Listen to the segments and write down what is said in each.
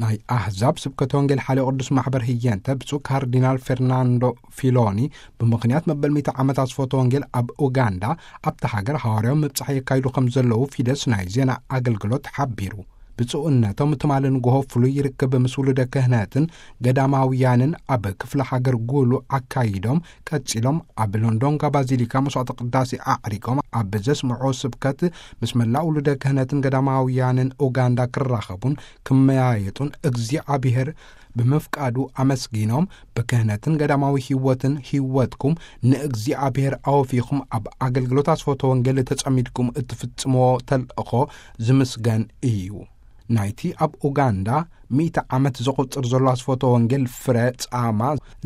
ናይ ኣህዛብ ስብከተ ወንጌል ሓልዮ ቅዱስ ማሕበር ህየንተ ብፁዕ ካርዲናል ፌርናንዶ ፊሎኒ፣ ብምኽንያት መበል ሚእቲ ዓመት ኣስፎተ ወንጌል ኣብ ኡጋንዳ፣ ኣብታ ሃገር ሃዋርያዊ ምብጻሕ የካይዱ ከም ዘለዉ ፊደስ ናይ ዜና ኣገልግሎት ሓቢሩ። ብፁዕነቶም ትማሊ ንግሆ ፍሉይ ርክብ ምስ ውሉደ ክህነትን ገዳማውያንን ኣብ ክፍለ ሃገር ጉሉ ኣካይዶም፣ ቀጺሎም ኣብ ሎንዶንጋ ባዚሊካ መስዋዕተ ቅዳሴ ኣዕሪጎም ኣብ ዘስምዖ ስብከት፣ ምስ መላእ ውሉደ ክህነትን ገዳማውያንን ኡጋንዳ ክራኸቡን ክመያየጡን እግዚኣብሔር ብምፍቃዱ ኣመስጊኖም፣ ብክህነትን ገዳማዊ ህይወትን ህይወትኩም ንእግዚኣብሔር ኣወፊኹም ኣብ ኣገልግሎት ኣስፎተ ወንጌል ተጸሚድኩም እትፍጽምዎ ተልእኾ ዝምስገን እዩ። ናይቲ ኣብ ኡጋንዳ ሚእቲ ዓመት ዘቑጽር ዘሎ ኣስፎተ ወንጌል ፍረ ጻማ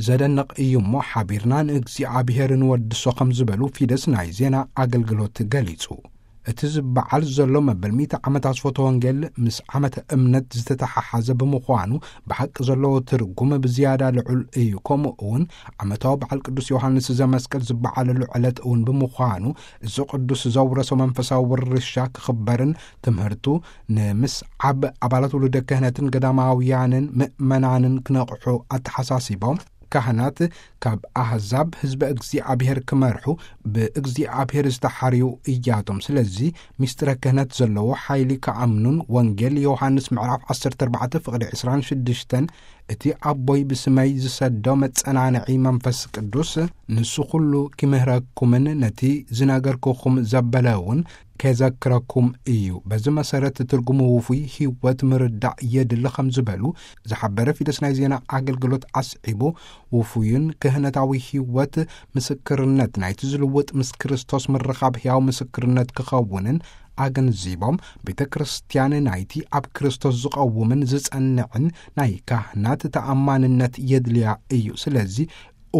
ዘደንቕ እዩ እሞ፣ ሓቢርና ንእግዚኣብሔር ንወድሶ ከም ዝበሉ ፊደስ ናይ ዜና ኣገልግሎት ገሊጹ። እቲ ዝበዓል ዘሎ መበል ሚእቲ ዓመት ኣስፎተ ወንጌል ምስ ዓመተ እምነት ዝተተሓሓዘ ብምዃኑ፣ ብሓቂ ዘለዎ ትርጉም ብዝያዳ ልዑል እዩ። ከምኡ እውን ዓመታዊ በዓል ቅዱስ ዮሃንስ ዘመስቀል ዝበዓለሉ ዕለት እውን ብምዃኑ፣ እዚ ቅዱስ ዘውረሶ መንፈሳዊ ውርሻ ክኽበርን ትምህርቱ ንምስዓብ ኣባላት ውሉደ ክህነትን ገዳማውያንን ምእመናንን ክነቕሑ ኣተሓሳሲቦም፣ ካህናት ካብ ኣህዛብ ህዝበ እግዚኣብሔር ክመርሑ ብእግዚኣብሔር ዝተሓርዩ እያቶም። ስለዚ ምስጢረ ክህነት ዘለዎ ሓይሊ ክኣምኑን ወንጌል ዮሃንስ ምዕራፍ ዓሰርተ ኣርባዕተ ፍቕዲ ዕስራን ሽዱሽተን፣ እቲ ኣቦይ ብስመይ ዝሰዶ መጸናንዒ መንፈስ ቅዱስ ንሱ ኩሉ ኪምህረኩምን ነቲ ዝነገርኩኹም ዘበለ እውን ኬዘክረኩም እዩ። በዚ መሰረት ትርጉሙ ውፉይ ህይወት ምርዳእ የድሊ ከም ዝበሉ ዝሓበረ ፊደስ ናይ ዜና ኣገልግሎት ኣስዒቡ፣ ውፉይን ክህነታዊ ህይወት ምስክርነት ናይቲ ዝልውጥ ምስ ክርስቶስ ምርኻብ ሕያው ምስክርነት ክኸውንን ኣገንዚቦም፣ ቤተ ክርስቲያን ናይቲ ኣብ ክርስቶስ ዝቐውምን ዝጸንዕን ናይ ካህናት ተኣማንነት የድልያ እዩ። ስለዚ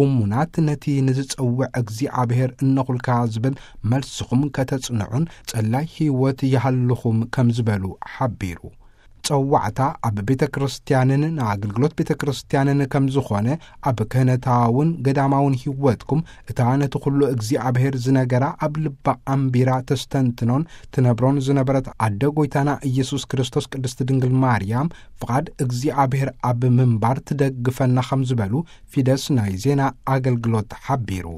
እሙናት ነቲ ንዝጸውዕ እግዚኣብሔር እነኹልካ ዝብል መልስኹም ከተጽንዑን ጸላይ ህይወት ይሃልኹም ከም ዝበሉ ሓቢሩ። ጸዋዕታ ኣብ ቤተ ክርስቲያንን ንኣገልግሎት ቤተ ክርስቲያንን ከም ዝኾነ፣ ኣብ ክህነታውን ገዳማውን ህይወትኩም እታ ነቲ ኩሉ እግዚኣብሔር ዝነገራ ኣብ ልባ ኣንቢራ ተስተንትኖን ትነብሮን ዝነበረት ኣደ ጐይታና ኢየሱስ ክርስቶስ ቅድስቲ ድንግል ማርያም ፍቓድ እግዚኣብሔር ኣብ ምንባር ትደግፈና ከም ዝበሉ ፊደስ ናይ ዜና ኣገልግሎት ሓቢሩ።